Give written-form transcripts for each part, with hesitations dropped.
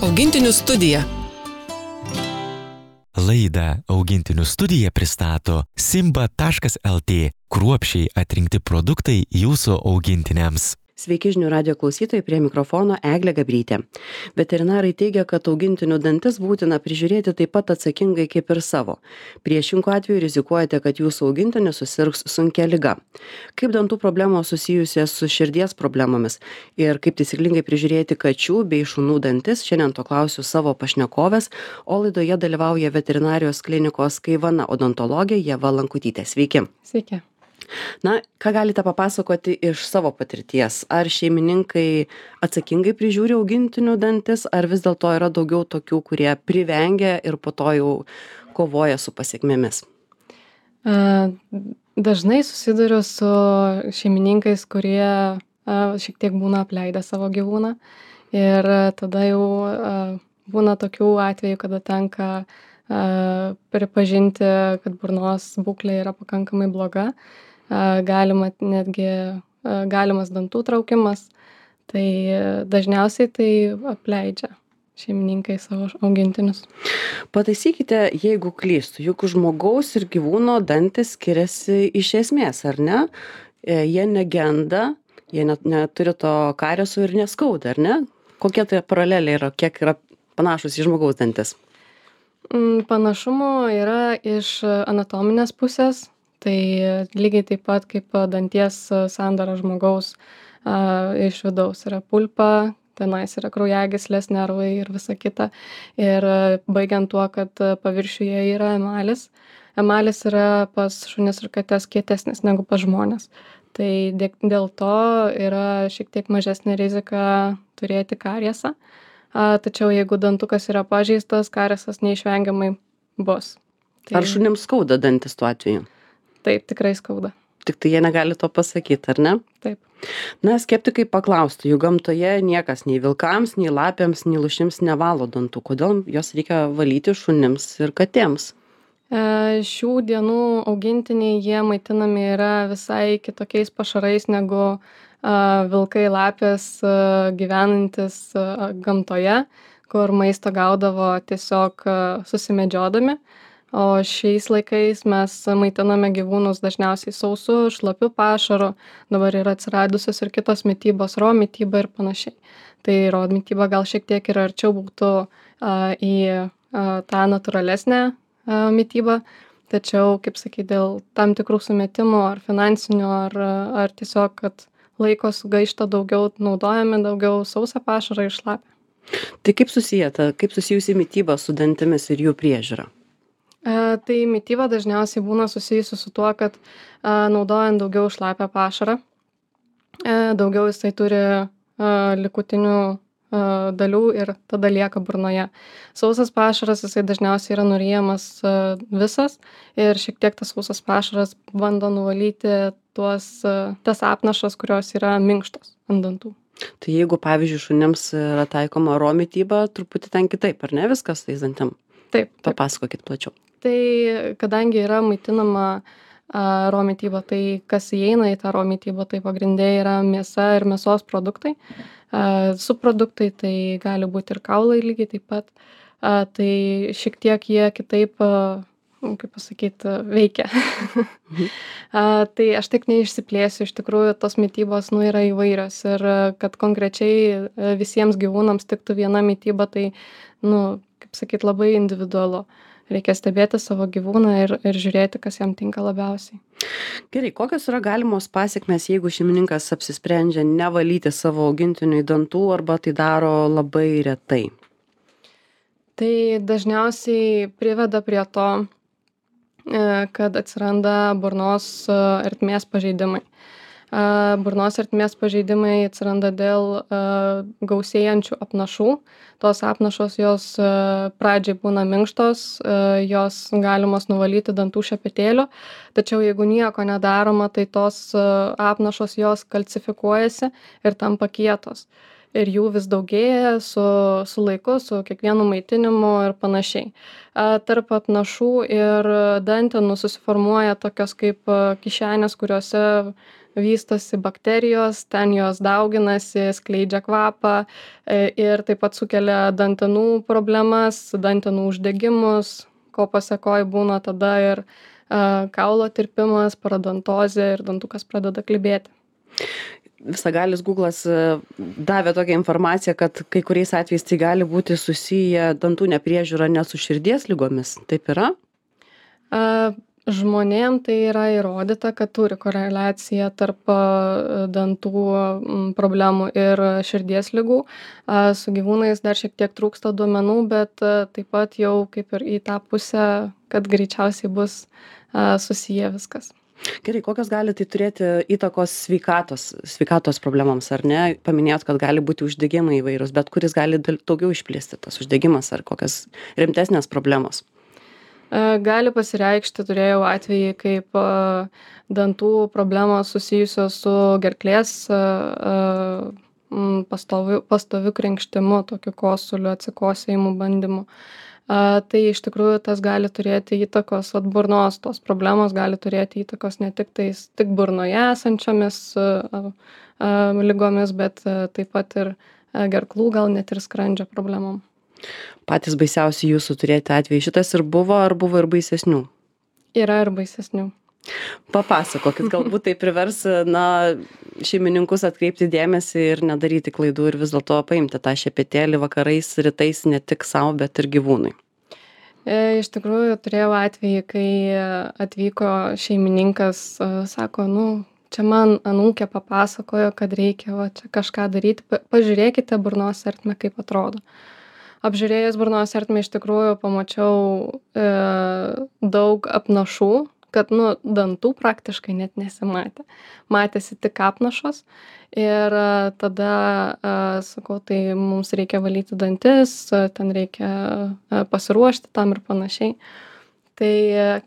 Augintinių studija. Laidą Augintinių studija pristato Simba.lt. Kruopščiai atrinkti produktai jūsų augintiniams. Sveiki žinių radijo klausytojai, prie mikrofono Eglė Gabrytė. Veterinarai teigia, kad augintinių dantis būtina prižiūrėti taip pat atsakingai kaip ir savo. Priešingų atveju rizikuojate, kad jūsų augintinis susirgs sunkia liga. Kaip dantų problemos susijusios su širdies problemomis ir kaip taisyklingai prižiūrėti kačių bei šunų dantis, šiandien to klausiu savo pašnekovės, o laidoje dalyvauja veterinarijos klinikos Kaivana odontologė Ieva Lankutytė. Sveiki. Sveiki. Na, ką galite papasakoti iš savo patirties? Ar šeimininkai atsakingai prižiūri augintinių dantis, ar vis dėlto yra daugiau tokių, kurie privengia ir po to jau kovoja su pasekmėmis? Dažnai susiduriu su šeimininkais, kurie šiek tiek būna apleidę savo gyvūną ir tada jau būna tokių atvejų, kada tenka pripažinti, kad burnos būklė yra pakankamai bloga. Galimas dantų traukimas, tai dažniausiai tai apleidžia šeimininkai savo augintinius. Pataisykite, jeigu klystu, juk žmogaus ir gyvūno dantis skiriasi iš esmės, ar ne? Jie negenda, jie neturi to kariesų ir neskauda, ar ne? Kokie tai paraleliai yra, kiek yra panašus į žmogaus dantis? Panašumų yra iš anatominės pusės. Tai lygiai taip pat kaip danties sandara žmogaus iš vidaus yra pulpa, tenais yra kraujagyslės, nervai ir visa kita. Ir baigiant tuo, kad paviršiuje yra emalis. Emalis yra pas šunis ir kates kietesnis negu pas žmones. Tai dėl to yra šiek tiek mažesnė rizika turėti kariesą. Tačiau jeigu dantukas yra pažeistas, kariesas neišvengiamai bus. Ar šunims skauda dantis tuo atveju? Taip, tikrai skauda. Tik tai jie negali to pasakyti, ar ne? Taip. Na, skeptikai paklaustų, jų gamtoje niekas nei vilkams, nei lapėms, nei lūšims nevalo dantų. Kodėl jos reikia valyti šunims ir katėms? Šių dienų augintiniai jie maitinami yra visai kitokiais pašarais negu vilkai, lapės gyvenantis gamtoje, kur maisto gaudavo tiesiog susimedžiodami. O šiais laikais mes maitiname gyvūnus dažniausiai sausu, šlapiu pašaru, dabar yra atsiradusios ir kitos mitybos, raw mityba ir panašiai. Tai raw mityba gal šiek tiek ir arčiau būtų į tą natūralesnę mitybą, tačiau, kaip sakyti, dėl tam tikrų sumetimų ar finansinių, ar tiesiog, kad laiko sugaišta daugiau, naudojame daugiau sausą pašarą ir šlapę. Tai kaip susijusi mityba su dantimis ir jų priežiūra? Tai mityba dažniausiai būna susijusi su tuo, kad naudojant daugiau šlapią pašarą, daugiau jisai turi likutinių dalių ir tada lieka burnoje. Sausas pašaras jisai dažniausiai yra nuryjamas visas ir šiek tiek tas sausas pašaras bando nuvalyti tas apnašas, kurios yra minkštos ant dantų. Tai jeigu, pavyzdžiui, šunims yra taikoma raw mityba, truputį ten kitaip, ar ne viskas tais dantim? Taip. Papasakokit plačiau. Tai kadangi yra maitinama raw mityba, tai kas įeina į tą raw mitybą, tai pagrindė yra mėsa ir mėsos produktai. Subproduktai tai gali būti ir kaulai lygiai taip pat. Tai šiek tiek jie kitaip, kaip pasakyti, veikia. Tai aš tik neišsiplėsiu, iš tikrųjų tos mitybos yra įvairios ir kad konkrečiai visiems gyvūnams tiktų viena mityba, tai, kaip sakyti, labai individualu. Reikia stebėti savo gyvūną ir žiūrėti, kas jam tinka labiausiai. Gerai, kokios yra galimos pasekmės, jeigu šeimininkas apsisprendžia nevalyti savo augintiniui dantų arba tai daro labai retai? Tai dažniausiai priveda prie to, kad atsiranda burnos ertmės pažeidimai. Burnos ertmės pažeidimai atsiranda dėl gausėjančių apnašų. Tos apnašos jos pradžiai būna minkštos, jos galimos nuvalyti dantų šepetėliu, tačiau jeigu nieko nedaroma, tai tos apnašos jos kalcifikuojasi ir tampa kietos. Ir jų vis daugėja su laiku, su kiekvienu maitinimu ir panašiai. Tarp apnašų ir dantenų susiformuoja tokios kaip kišenės, kuriuose vystosi bakterijos, ten jos dauginasi, skleidžia kvapą ir taip pat sukelia dantenų problemas, dantenų uždegimus, ko pasekoj būna tada ir kaulo tirpimas, parodontozė ir dantukas pradeda klibėti. Visagalis Google'as davė tokią informaciją, kad kai kuriais atvejais tai gali būti susiję dantų nepriežiūra ne su širdies ligomis. Taip yra? Žmonėm tai yra įrodyta, kad turi koreliaciją tarp dantų problemų ir širdies ligų. Su gyvūnais dar šiek tiek trūksta duomenų, bet taip pat jau kaip ir į tą pusę, kad greičiausiai bus susiję viskas. Gerai, kokios gali tai turėti įtakos sveikatos problemams, ar ne? Paminėjot, kad gali būti uždegimai įvairūs, bet kuris gali daugiau išplisti tas uždegimas ar kokios rimtesnės problemos? Gali pasireikšti, turėjau atvejį, kaip dantų problemos susijusios su gerklės pastoviu krenkštimu, tokiu kosuliu, atsikosėjimu bandymu. Tai iš tikrųjų tas gali turėti įtakos, burnos tos problemos gali turėti įtakos ne tik burnoje esančiomis ligomis, bet taip pat ir gerklų, gal net ir skrandžio problemom. Patys baisiausi jūsų turėti atvejai šitas ir buvo, ar buvo ir baisesnių? Yra ir baisesnių. Papasakokit, galbūt tai privers šeimininkus atkreipti dėmesį ir nedaryti klaidų ir vis dėlto paimti tą šepetėlį vakarais, rytais ne tik savo, bet ir gyvūnui. Iš tikrųjų, turėjau atvejį, kai atvyko šeimininkas, sako, čia man anūkė papasakojo, kad reikia čia kažką daryti, pažiūrėkite burnos ertmę, kaip atrodo. Apžiūrėjus burnos ertmę iš tikrųjų pamačiau daug apnašų, kad dantų praktiškai net nesimatė. Matėsi tik apnašos ir tada sakau, tai mums reikia valyti dantis, ten reikia pasiruošti tam ir panašiai. Tai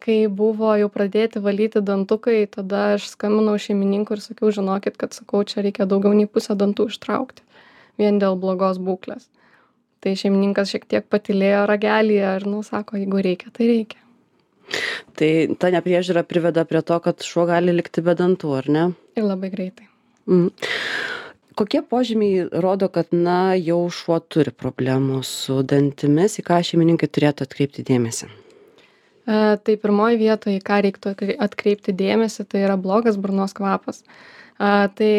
kai buvo jau pradėti valyti dantukai, tada aš skambinau šeimininkui ir sakiau, žinokit, kad čia reikia daugiau nei pusę dantų ištraukti, vien dėl blogos būklės. Tai šeimininkas šiek tiek patylėjo ragelyje ir sako, jeigu reikia, tai reikia. Tai ta nepriežiūra priveda prie to, kad šuo gali likti be dantų, ar ne? Ir labai greitai. Kokie požymiai rodo, kad jau šuo turi problemų su dantimis, į ką šeimininkai turėtų atkreipti dėmesį? Tai pirmoji vietoje, į ką reiktų atkreipti dėmesį, tai yra blogas burnos kvapas. Tai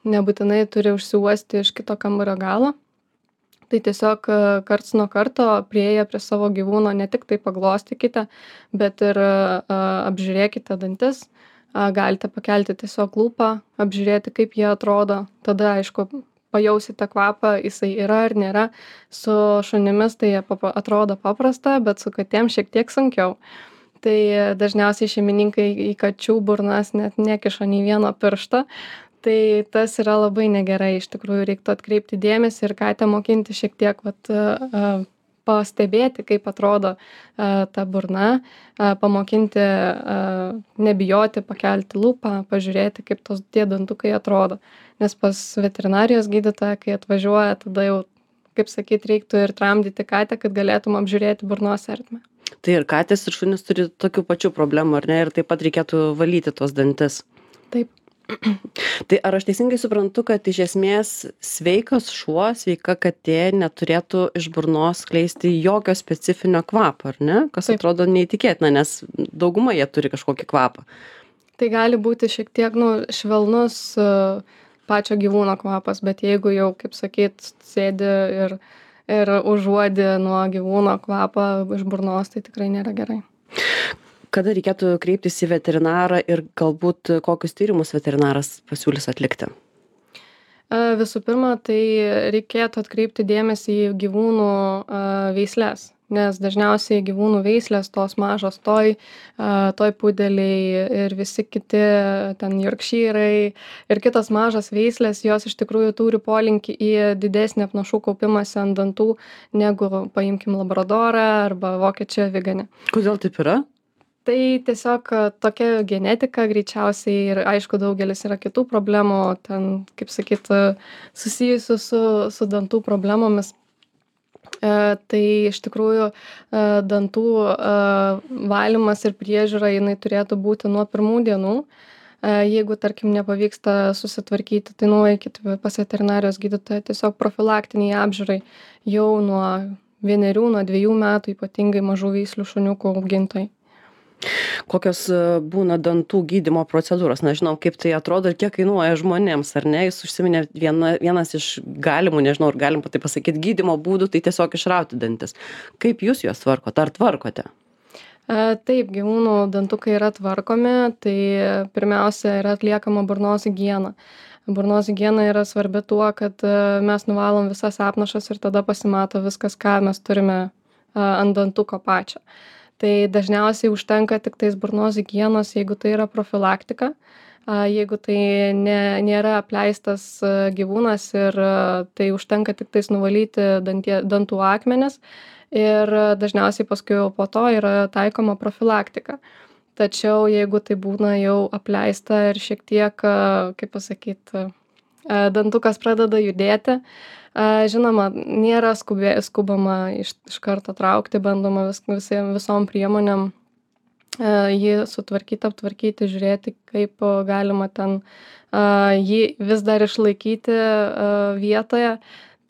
nebūtinai turi užsiuosti iš kito kambario galo. Tai tiesiog karts nuo karto priėję prie savo gyvūno ne tik tai paglostykite, bet ir apžiūrėkite dantis. Galite pakelti tiesiog lūpą, apžiūrėti, kaip jie atrodo. Tada, aišku, pajausite kvapą, jisai yra ar nėra. Su šunimis tai atrodo paprasta, bet su katėm šiek tiek sunkiau. Tai dažniausiai šeimininkai į kačių burnas net nekiša nei vieno piršto. Tai tas yra labai negerai, iš tikrųjų reiktų atkreipti dėmesį ir katę mokinti šiek tiek pastebėti, kaip atrodo ta burna, pamokinti nebijoti, pakelti lūpą, pažiūrėti, kaip tie dantukai atrodo. Nes pas veterinarijos gydytoją, kai atvažiuoja, tada jau, kaip sakyt, reiktų ir tramdyti katę, kad galėtum apžiūrėti burnos ertmę. Tai ir katės ir šunys turi tokių pačių problemų, ar ne? Ir taip pat reikėtų valyti tuos dantis. Taip. Tai ar aš teisingai suprantu, kad iš esmės sveikas šuo, sveika katė neturėtų iš burnos skleisti jokio specifinio kvapo, ar ne? Kas atrodo neįtikėtina, nes dauguma jie turi kažkokį kvapą. Tai gali būti šiek tiek švelnus pačio gyvūno kvapas, bet jeigu jau, kaip sakyt, sėdi ir užuodi nuo gyvūno kvapą iš burnos, tai tikrai nėra gerai. Kada reikėtų kreiptis į veterinarą ir galbūt kokius tyrimus veterinaras pasiūlys atlikti? Visų pirma, tai reikėtų atkreipti dėmesį į gyvūnų veisles, nes dažniausiai gyvūnų veislės tos mažos toj pudeliai ir visi kiti ten jorkšyrai ir kitos mažos veislės, jos iš tikrųjų turi polinkį į didesnį apnašų kaupimąsi ant dantų negu, paimkim, labradorą arba vokiečių aviganį. Kodėl taip yra? Tai tiesiog tokia genetika greičiausiai ir aišku daugelis yra kitų problemų, ten, kaip sakyt, susijusių su dantų problemomis. Tai iš tikrųjų dantų valymas ir priežiūra jinai turėtų būti nuo pirmų dienų. Jeigu, tarkim, nepavyksta susitvarkyti, tai nueikit pas veterinarijos gydytoją tiesiog profilaktiniai apžiūrai jau nuo 1, nuo 2 metų, ypatingai mažų veislių šuniukų augintojai. Kokios būna dantų gydymo procedūros? Na, žinau, kaip tai atrodo ir kiek kainuoja žmonėms, ar ne? Jūs užsiminėt vienas iš galimų, nežinau, ar galim taip pasakyti, gydymo būdų, tai tiesiog išrauti dantis. Kaip jūs juos tvarkote? Ar tvarkote? Taip, gyvūnų dantukai yra tvarkomi, tai pirmiausia yra atliekama burnos higiena. Burnos higiena yra svarbi tuo, kad mes nuvalom visas apnašas ir tada pasimato viskas, ką mes turime ant dantuko pačio. Tai dažniausiai užtenka tik tais burnos higienos, jeigu tai yra profilaktika, jeigu tai nėra apleistas gyvūnas ir tai užtenka tik tais nuvalyti dantų akmenis ir dažniausiai paskui jau po to yra taikoma profilaktika. Tačiau jeigu tai būna jau apleista ir šiek tiek, kaip pasakyti, dantukas pradeda judėti, žinoma, nėra skubama iš karto traukti, bandoma visom priemonėm jį sutvarkyti, aptvarkyti, žiūrėti, kaip galima ten jį vis dar išlaikyti vietoje.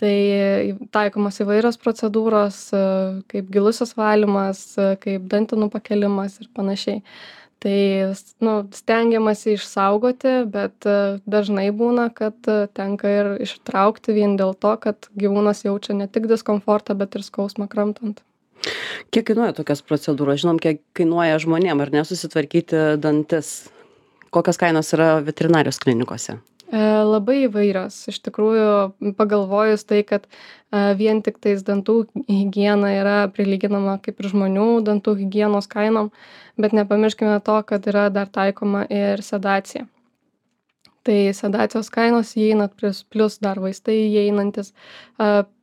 Tai taikomos įvairios procedūros, kaip gilusis valymas, kaip dantenų pakelimas ir panašiai. Tai stengiamasi išsaugoti, bet dažnai būna, kad tenka ir ištraukti vien dėl to, kad gyvūnas jaučia ne tik diskomfortą, bet ir skausmą kramtant. Kiek kainuoja tokios procedūros? Žinom, kiek kainuoja žmonėm, ar ne, susitvarkyti dantis? Kokios kainos yra veterinarijos klinikose? Labai įvairios. Iš tikrųjų, pagalvojus tai, kad vien tik tais dantų higiena yra prilyginama kaip ir žmonių dantų higienos kainom, bet nepamirškime to, kad yra dar taikoma ir sedacija. Tai sedacijos kainos įeina plus dar vaistai įeinantis,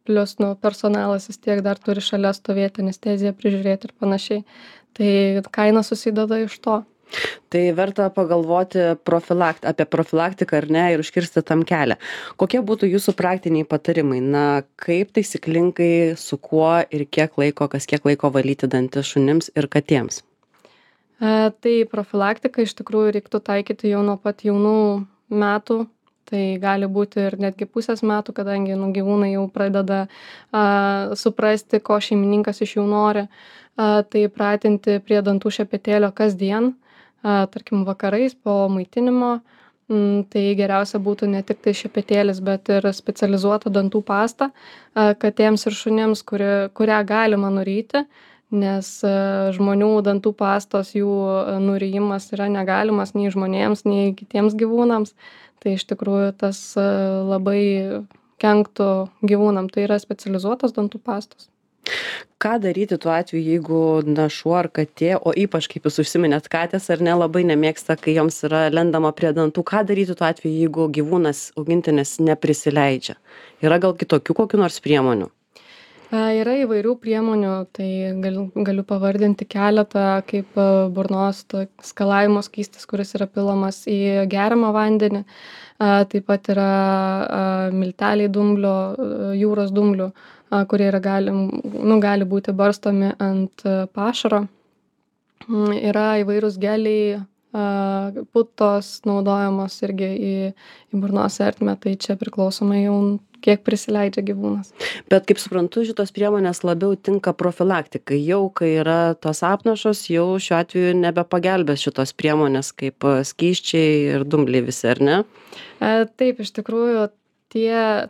plus personalas vis tiek dar turi šalia stovėti, anesteziją prižiūrėti ir panašiai. Tai kaina susideda iš to. Tai verta pagalvoti apie profilaktiką ar ne ir užkirsti tam kelią. Kokie būtų jūsų praktiniai patarimai? Na, kaip taisyklingai, su kuo ir kiek laiko valyti dantis šunims ir katėms? Tai profilaktiką iš tikrųjų reiktų taikyti jau nuo pat jaunų metų. Tai gali būti ir netgi pusės metų, kadangi gyvūnai jau pradeda suprasti, ko šeimininkas iš jų nori. Tai pratinti prie dantų šepetėlio kasdien. Tarkim, vakarais po maitinimo, tai geriausia būtų ne tik tai šepetėlis, bet ir specializuota dantų pasta katėms ir šunims, kurią galima nuryti, nes žmonių dantų pastos jų nurijimas yra negalimas nei žmonėms, nei kitiems gyvūnams. Tai iš tikrųjų tas labai kenktų gyvūnam. Tai yra specializuotos dantų pastos. Ką daryti tuo atveju, jeigu šuo ar katė, o ypač kaip jūs užsiminėt, katės ar ne labai nemėgsta, kai joms yra lendama prie dantų, ką daryti tuo atveju, jeigu gyvūnas augintinis neprisileidžia? Yra gal kitokių kokių nors priemonių? Yra įvairių priemonių, tai galiu pavardinti keletą, kaip burnos skalavimo skystis, kuris yra pilamas į geriamą vandenį. Taip pat yra milteliai dumblio, jūros dumblių, kurie gali būti barstomi ant pašaro. Yra įvairūs geliai, putos naudojamos irgi į burnos ertmę, tai čia priklausomai jau kiek prisileidžia gyvūnas. Bet kaip suprantu, šitos priemonės labiau tinka profilaktikai. Jau kai yra tos apnašos, jau šiuo atveju nebepagelbės šitos priemonės kaip skysčiai ir dumbliai visi, ar ne? Taip, iš tikrųjų,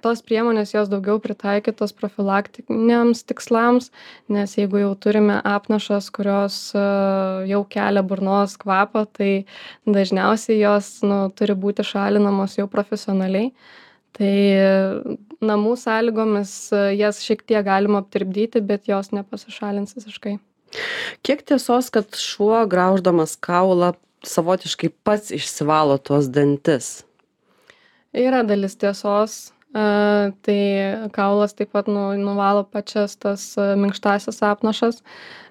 tos priemonės jos daugiau pritaikytos profilaktiniams tikslams, nes jeigu jau turime apnašas, kurios jau kelia burnos kvapą, tai dažniausiai jos turi būti šalinamos jau profesionaliai. Tai namų sąlygomis jas šiek tiek galima aptirpdyti, bet jos nepasišalins visiškai. Kiek tiesos, kad šuo grauždamas kaulą savotiškai pats išsivalo tuos dantis? Yra dalis tiesos, tai kaulas taip pat nuvalo pačias tas minkštasias apnašas,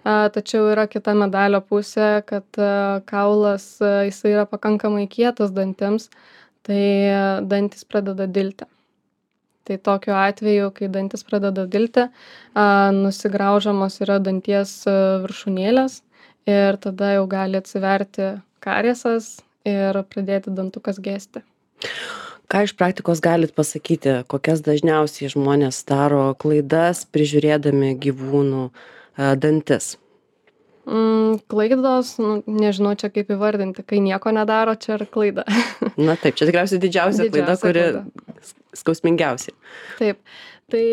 tačiau yra kita medalio pusė, kad kaulas jisai yra pakankamai kietas dantims, tai dantis pradeda dilti. Tai tokiu atveju, kai dantis pradeda dilti, nusigraužamos yra danties viršūnėlės ir tada jau gali atsiverti kariesas ir pradėti dantukas gesti. Ką iš praktikos galit pasakyti, kokias dažniausiai žmonės daro klaidas prižiūrėdami gyvūnų dantis? Klaidos, nežinau čia kaip įvardinti, kai nieko nedaro, čia ir klaida. Na taip, čia tikriausiai didžiausia klaida, kuri skausmingiausia. Taip, tai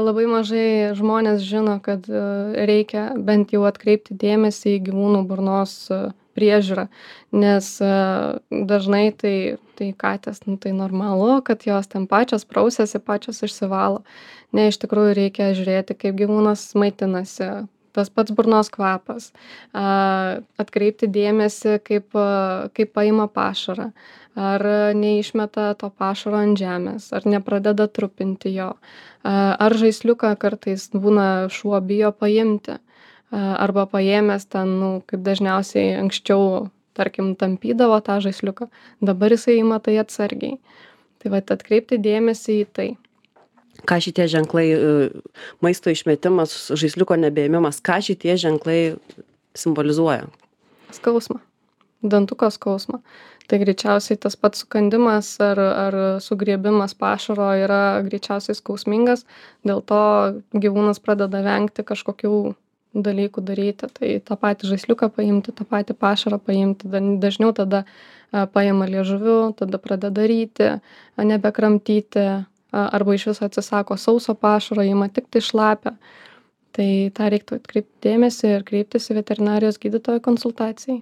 labai mažai žmonės žino, kad reikia bent jau atkreipti dėmesį į gyvūnų burnos priežiūrą, nes dažnai tai katės, tai normalu, kad jos ten pačios prausiasi, pačios išsivalo. Ne, iš tikrųjų reikia žiūrėti, kaip gyvūnas maitinasi, tas pats burnos kvapas, atkreipti dėmesį, kaip paima pašarą, ar neišmeta to pašaro ant žemės, ar nepradeda trupinti jo, ar žaisliuką kartais būna šuo bijo paimti, arba paėmęs ten, kaip dažniausiai anksčiau, tarkim, tampydavo tą žaisliuką, dabar jisai ima tai atsargiai. Tai vat atkreipti dėmesį į tai. Ką šitie ženklai, maisto išmetimas, žaisliuko nebeėmimas, ką šitie ženklai simbolizuoja? Skausmą. Dantuko skausmą. Tai greičiausiai tas pats sukandimas ar sugriebimas pašaro yra greičiausiai skausmingas, dėl to gyvūnas pradeda vengti kažkokių dalykų daryti. Tai tą patį žaisliuką paimti, tą patį pašarą paimti, dažniau tada paima liežuviu, tada pradeda ryti, nebekramtyti, arba iš viso atsisako sauso pašaro, ima tik tai šlapę. Tai tą reiktų atkreipti dėmesį ir kreiptis į veterinarijos gydytojo konsultacijai.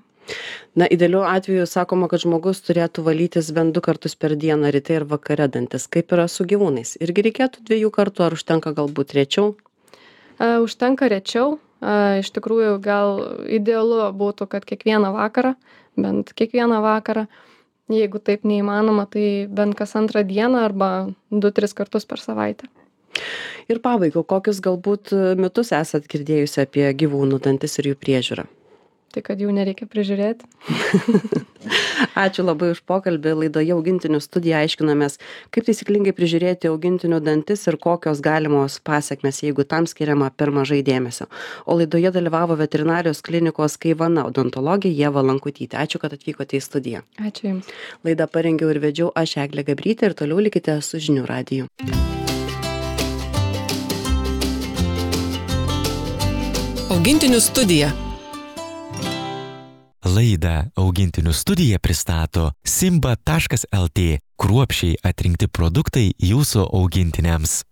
Na, idealiu atveju sakoma, kad žmogus turėtų valytis bent 2 kartus per dieną, ryte ir vakare dantis. Kaip yra su gyvūnais? Irgi reikėtų 2 kartų, ar užtenka galbūt rečiau? Užtenka rečiau. Iš tikrųjų, gal idealu būtų, kad kiekvieną vakarą, bent kiekvieną vakarą. Jeigu taip neįmanoma, tai bent kas 2 dieną arba 2-3 kartus per savaitę. Ir pabaigai, kokius galbūt mitus esat girdėjusi apie gyvūnų dantis ir jų priežiūrą? Tai kad jų nereikia prižiūrėti. Ačiū labai už pokalbį. Laidoje Augintinių studija aiškinomės, kaip taisyklingai prižiūrėti augintinių dantis ir kokios galimos pasekmės, jeigu tam skiriama per mažai dėmesio. O laidoje dalyvavo veterinarijos klinikos Kaivana odontologė Ieva Lankutytė. Ačiū, kad atvykote į studiją. Ačiū Jums. Laidą parengiau ir vedžiau aš, Eglė Gabrytė, ir toliau likite su Žinių radiju. Augintinių studija. Laidą Augintinių studija pristato simba.lt – kruopščiai atrinkti produktai jūsų augintiniams.